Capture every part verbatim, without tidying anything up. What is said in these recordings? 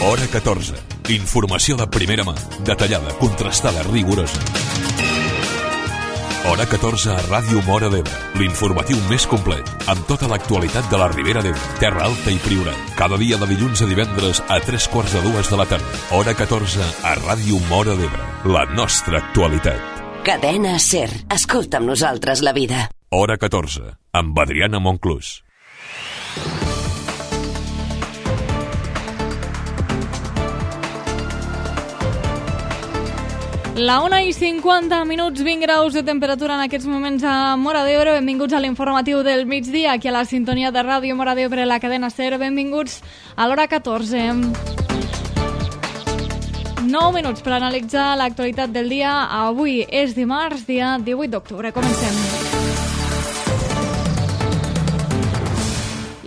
Hora catorze. Informació de primera mà, detallada, contrastada, rigorosa. Hora catorze a Ràdio Móra d'Ebre, l'informatiu més complet, amb tota l'actualitat de la Ribera d'Ebre, Terra Alta i Priorat. Cada dia de dilluns a divendres a tres quarts de dues de la tarda. Hora catorze a Ràdio Móra d'Ebre, la nostra actualitat. Cadena SER, escolta amb nosaltres la vida. Hora catorze, amb Adriana Monclús. La una i cinquanta minuts, vint graus de temperatura en aquests moments a Móra d'Ebre. Benvinguts a l'informatiu del migdia, aquí a la sintonia de Ràdio Móra d'Ebre, la cadena SER. Benvinguts a l'hora catorze. nou minuts per analitzar l'actualitat del dia. Avui és dimarts, dia divuit d'octubre. Comencem.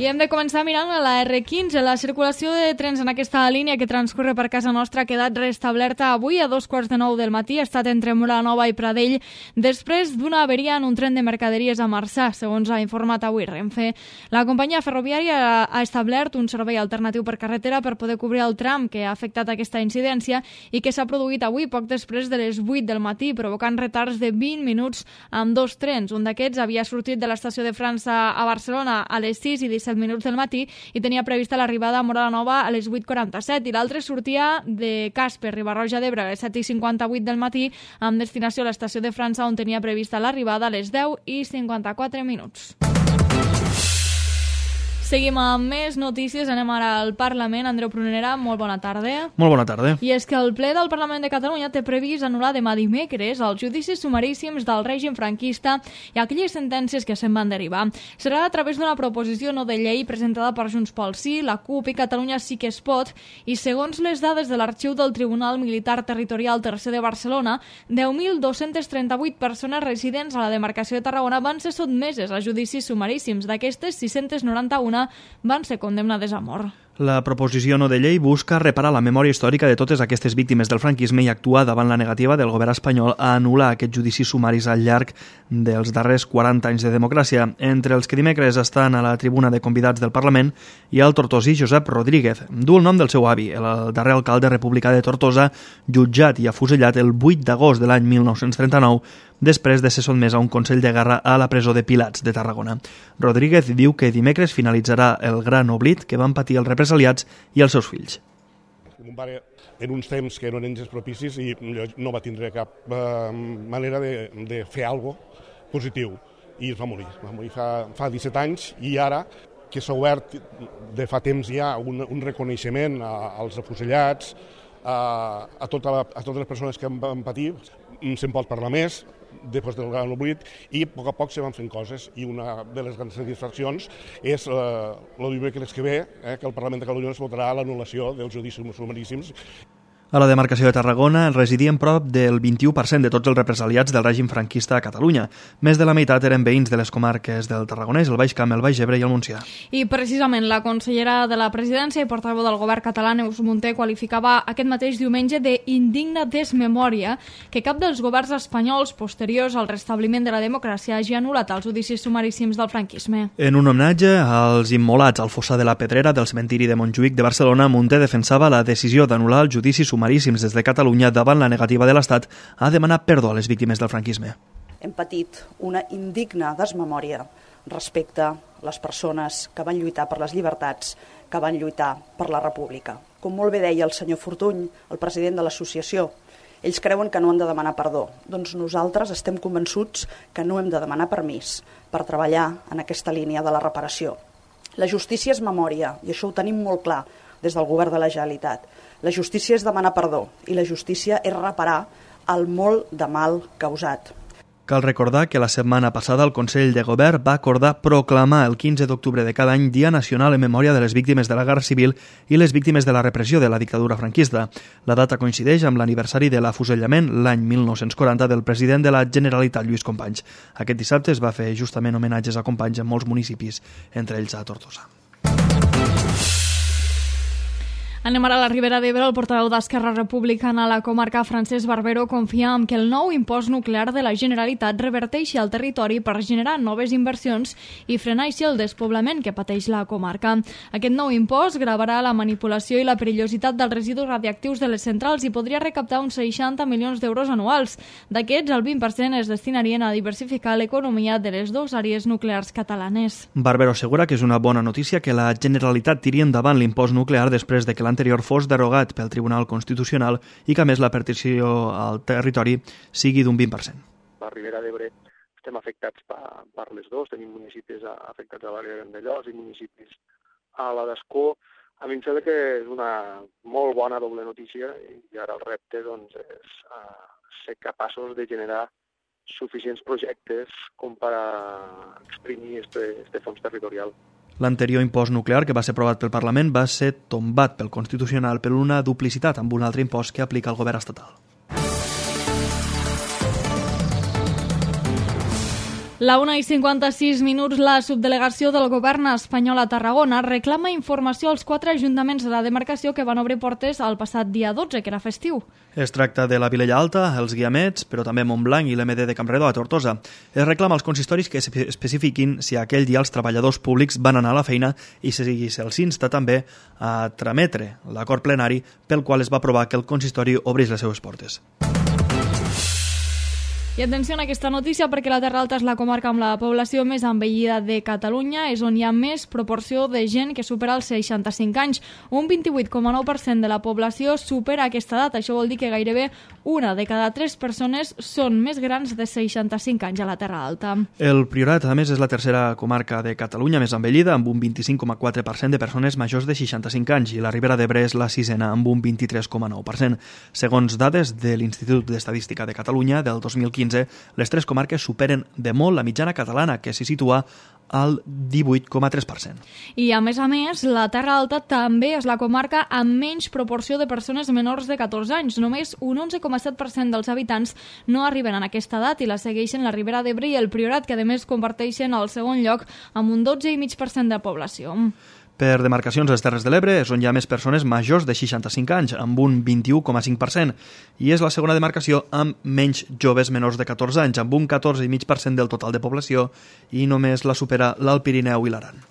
I hem de començar mirant a la erre quinze. La circulació de trens en aquesta línia que transcorre per casa nostra ha quedat restablerta avui a dos quarts de nou del matí. Ha estat entre Móra-la-Nova i Pradell després d'una averia en un tren de mercaderies a Marçà, segons ha informat avui Renfe. La companyia ferroviària ha establert un servei alternatiu per carretera per poder cobrir el tram que ha afectat aquesta incidència i que s'ha produït avui poc després de les vuit del matí, provocant retards de vint minuts amb dos trens. Un d'aquests havia sortit de l'estació de França a Barcelona a les sis i disset minuts del matí i tenia prevista l'arribada a Móra-la-Nova a les vuit quaranta-set, i l'altre sortia de Caspe, Riba-roja d'Ebre, a les set i cinquanta-vuit del matí amb destinació a l'estació de França, on tenia prevista l'arribada a les deu i cinquanta-quatre minuts. Seguim amb més notícies. Anem ara al Parlament. Andreu Prunera, molt bona tarda. Molt bona tarda. I és que el ple del Parlament de Catalunya té previst anul·lar demà dimecres els judicis sumaríssims del règim franquista i aquelles sentències que se'n van derivar. Serà a través d'una proposició no de llei presentada per Junts pel Sí, la CUP i Catalunya Sí que es pot, i segons les dades de l'arxiu del Tribunal Militar Territorial Tercer de Barcelona, deu mil dos-cents trenta-vuit persones residents a la demarcació de Tarragona van ser sotmeses a judicis sumaríssims. D'aquestes, sis-cents noranta-una van ser condemnades a mort. La proposició no de llei busca reparar la memòria històrica de totes aquestes víctimes del franquisme i actuar davant la negativa del govern espanyol a anul·lar aquests judicis sumaris al llarg dels darrers quaranta anys de democràcia. Entre els que dimecres estan a la tribuna de convidats del Parlament hi ha el tortosí Josep Rodríguez. Du el nom del seu avi, el darrer alcalde republicà de Tortosa, jutjat i afusellat el vuit d'agost de l'any mil nou-cents trenta-nou, després de ser sotmès a un consell de guerra a la presó de Pilats de Tarragona. Rodríguez diu que dimecres finalitzarà el gran oblit que van patir els represaliats i els seus fills. Mon pare, en uns temps que no eren gens propicis, i no va tindre cap eh, manera de, de fer alguna cosa positiu, i es va morir. Va morir fa, fa disset anys, i ara que s'ha obert de fa temps ja un, un reconeixement a, als afusellats, a, a, tota la, a totes les persones que van patir, se'n pot parlar més després del gran oblit, i a poc a poc se van fent coses, i una de les grans satisfaccions és eh, el dimecres que ve, eh, que el Parlament de Catalunya es votarà l'anul·lació dels judicis sumaríssims. A la demarcació de Tarragona residien prop del vint-i-u per cent de tots els represaliats del règim franquista a Catalunya. Més de la meitat eren veïns de les comarques del Tarragonès, el Baix Camp, el Baix Ebre i el Montsià. I precisament la consellera de la Presidència i portaveu del govern català, Neus Munté, qualificava aquest mateix diumenge d'indigna desmemòria que cap dels governs espanyols posteriors al restabliment de la democràcia hagi anul·lat els judicis sumaríssims del franquisme. En un homenatge als immolats al fossar de la Pedrera del cementiri de Montjuïc de Barcelona, Munté defensava la decisió d'anul·lar els judicis sumaríssims sumaríssims des de Catalunya davant la negativa de l'Estat a demanar perdó a les víctimes del franquisme. Hem patit una indigna desmemòria respecte a les persones que van lluitar per les llibertats, que van lluitar per la república. Com molt bé deia el senyor Fortuny, el president de l'associació, ells creuen que no han de demanar perdó. Doncs nosaltres estem convençuts que no hem de demanar permís per treballar en aquesta línia de la reparació. La justícia és memòria, i això ho tenim molt clar des del govern de la Generalitat. La justícia és demanar perdó i la justícia és reparar el molt de mal causat. Cal recordar que la setmana passada el Consell de Govern va acordar proclamar el quinze d'octubre de cada any Dia Nacional en memòria de les víctimes de la Guerra Civil i les víctimes de la repressió de la dictadura franquista. La data coincideix amb l'aniversari de l'afusellament l'any mil nou-cents quaranta del president de la Generalitat, Lluís Companys. Aquest dissabte es va fer justament homenatges a Companys en molts municipis, entre ells a Tortosa. Anem ara a la Ribera d'Ebre. El portaveu d'Esquerra Republicana a la comarca, Francesc Barbero, confia en que el nou impost nuclear de la Generalitat reverteixi al territori per generar noves inversions i frenar així el despoblament que pateix la comarca. Aquest nou impost gravarà la manipulació i la perillositat dels residus radiactius de les centrals i podria recaptar uns seixanta milions d'euros anuals. D'aquests, el vint per cent es destinarien a diversificar l'economia de les dues àrees nuclears catalanes. Barbero assegura que és una bona notícia que la Generalitat tiri endavant l'impost nuclear després de que l'anterior fos derogat pel Tribunal Constitucional i que, a més, la partició al territori sigui d'un vint per cent. La Ribera d'Ebre estem afectats per, per les dues, tenim municipis afectats a l'àrea de Vandellòs i municipis a la d'Escó. A mi em sembla que és una molt bona doble notícia i ara el repte doncs, és uh, ser capaços de generar suficients projectes com per exprimir este fons territorial. L'anterior impost nuclear, que va ser aprovat pel Parlament, va ser tombat pel Constitucional per una duplicitat amb un altre impost que aplica el govern estatal. La una i cinquanta-sis minuts, la subdelegació del govern espanyol a Tarragona reclama informació als quatre ajuntaments de la demarcació que van obrir portes el passat dia dotze, que era festiu. Es tracta de la Vilella Alta, els Guiamets, però també Montblanc i l'M D de Campredó a Tortosa. Es reclama als consistoris que especifiquin si aquell dia els treballadors públics van anar a la feina i si se'ls insta també a trametre l'acord plenari pel qual es va aprovar que el consistori obrís les seues portes. I atenció a aquesta notícia perquè la Terra Alta és la comarca amb la població més envellida de Catalunya, és on hi ha més proporció de gent que supera els seixanta-cinc anys. Un vint-i-vuit coma nou per cent de la població supera aquesta edat. Això vol dir que gairebé una de cada tres persones són més grans de seixanta-cinc anys a la Terra Alta. El Priorat, a més, és la tercera comarca de Catalunya més envellida, amb un vint-i-cinc coma quatre per cent de persones majors de seixanta-cinc anys, i la Ribera d'Ebre és la sisena, amb un vint-i-tres coma nou per cent. Segons dades de l'Institut d'Estadística de Catalunya del dos mil quinze, les tres comarques superen de molt la mitjana catalana, que s'hi situa al divuit coma tres per cent. I, a més a més, la Terra Alta també és la comarca amb menys proporció de persones menors de catorze anys. Només un onze coma set per cent dels habitants no arriben a aquesta edat i la segueixen la Ribera d'Ebre i el Priorat, que a més comparteixen el segon lloc amb un dotze coma cinc per cent de població. Per demarcacions a les Terres de l'Ebre és on hi ha més persones majors de seixanta-cinc anys, amb un vint-i-u coma cinc per cent, i és la segona demarcació amb menys joves menors de catorze anys, amb un catorze coma cinc per cent del total de població, i només la supera l'Alt Pirineu i l'Aran.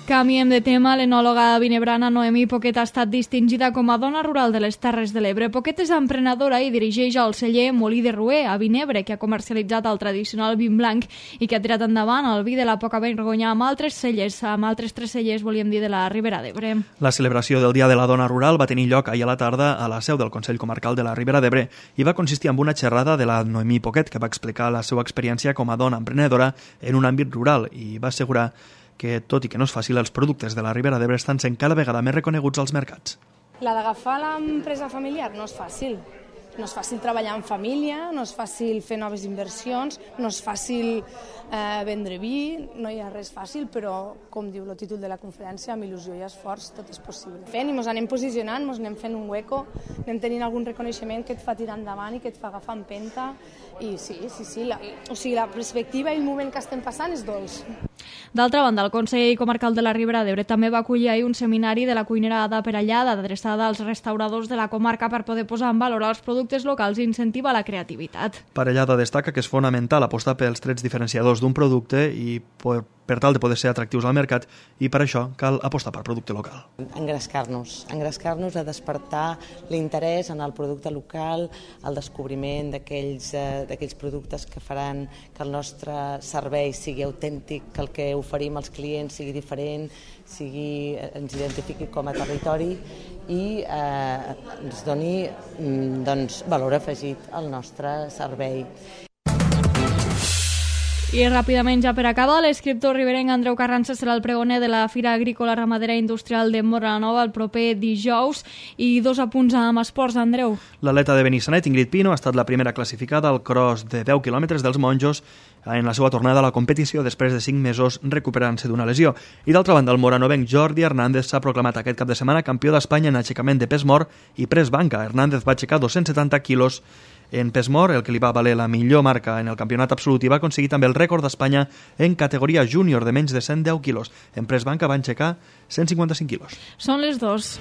Canviem de tema. L'enòloga vinebrana Noemí Poquet ha estat distingida com a dona rural de les Terres de l'Ebre. Poquet és emprenedora i dirigeix el celler Molí de Ruer, a Vinebre, que ha comercialitzat el tradicional vin blanc i que ha tirat endavant el vi de la poca vergonya amb altres cellers, amb altres tres cellers, volíem dir, de la Ribera d'Ebre. La celebració del Dia de la Dona Rural va tenir lloc ahir a la tarda a la seu del Consell Comarcal de la Ribera d'Ebre i va consistir en una xerrada de la Noemí Poquet, que va explicar la seva experiència com a dona emprenedora en un àmbit rural i va assegurar que, tot i que no és fàcil, els productes de la Ribera d'Ebre estan sent cada vegada més reconeguts als mercats. La d'agafar l'empresa familiar no és fàcil. No és fàcil treballar en família, no és fàcil fer noves inversions, no és fàcil eh, vendre vi, no hi ha res fàcil, però, com diu el títol de la conferència, amb il·lusió i esforç tot és possible. Fent i ens anem posicionant, ens anem fent un hueco, anem tenint algun reconeixement que et fa tirar endavant i que et fa agafar empenta, i sí, sí, sí, la, o sigui, la perspectiva i el moment que estem passant és dolç. D'altra banda, el Consell Comarcal de la Ribera d'Ebre també va acollir ahir un seminari de la cuinera Ada Perellada, adreçada als restauradors de la comarca per poder posar en valor els productes locals i incentivar la creativitat. Perellada destaca que és fonamental apostar pels trets diferenciadors d'un producte i per, per tal de poder ser atractius al mercat, i per això cal apostar per producte local. Engrescar-nos, engrescar-nos a despertar l'interès en el producte local, el descobriment d'aquells eh, d'aquells productes que faran que el nostre servei sigui autèntic, que el que oferim als clients sigui diferent, sigui, ens identifiqui com a territori i eh, ens doni doncs, valor afegit al nostre servei. I ràpidament, ja per acabar, l'escriptor riberenc Andreu Carranza serà el pregoner de la Fira Agrícola Ramadera Industrial de Móra-la-Nova el proper dijous. I dos apunts amb esports, Andreu. L'atleta de Benissanet, Ingrid Pino, ha estat la primera classificada al cross de deu quilòmetres dels Monjos en la seva tornada a la competició després de cinc mesos recuperant-se d'una lesió. I d'altra banda, el moranovenc Jordi Hernández s'ha proclamat aquest cap de setmana campió d'Espanya en aixecament de pes mort i pres banca. Hernández va aixecar dos-cents setanta quilos En pes mort, el que li va valer la millor marca en el campionat absolut, i va aconseguir també el rècord d'Espanya en categoria júnior de menys de cent deu quilos. En press banca van aixecar cent cinquanta-cinc quilos. Són les dos.